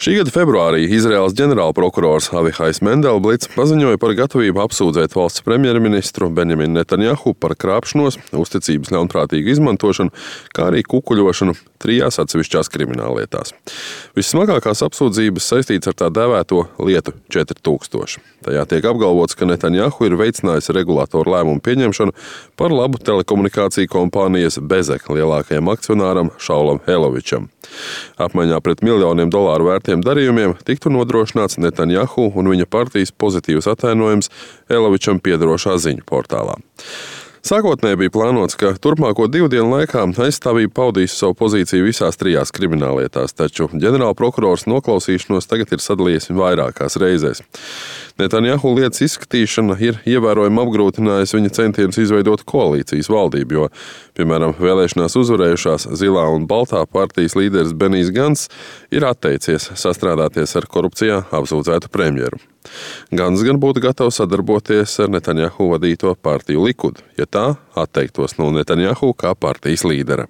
Šī gada februārī Izraēlas ģenerālprokurors Avihajs Mendelblits paziņoja par gatavību apsūdzēt valsts premjerministru Benjaminu Netanjahu par krāpšanos, uzticības ļaunprātīgu izmantošanu, kā arī kukuļošanu 3 atsevišķās krimināllietās. Vissmagākās apsūdzības saistītas ar tā dēvēto lietu 4000. Tajā tiek apgalvots, ka Netanjahu ir veicinājis regulātoru lēmumu pieņemšanu par labu telekomunikāciju kompānijas Bezek lielākajam akcionāram Šaulam Helovičam. Apmaiņā pret miljoniem dolāru vērtiem darījumiem tiktu nodrošināts Netanjahu un viņa partijas pozitīvs atainojums Helovičam piederošā ziņu portālā. Sākotnēji bija plānots, ka turpmāko 2 dienu laikā aizstāvība paudīs savu pozīciju visās 3 krimināllietās, taču ģenerālprokurors noklausīšanos tagad ir sadalījis vairākās reizēs. Netanjahu lietas izskatīšana ir ievērojami apgrūtinājusi viņa centienus izveidot koalīcijas valdību, jo, piemēram, vēlēšanās uzvarējušās Zilā un Baltā partijas līderis Benijs Gants ir atteicies sastrādāties ar korupcijā apsūdzētu premjeru. Gants gan būtu gatavs sadarboties ar Netanjahu vadīto partiju Likud, ja tā atteiktos no Netanjahu kā partijas līdera.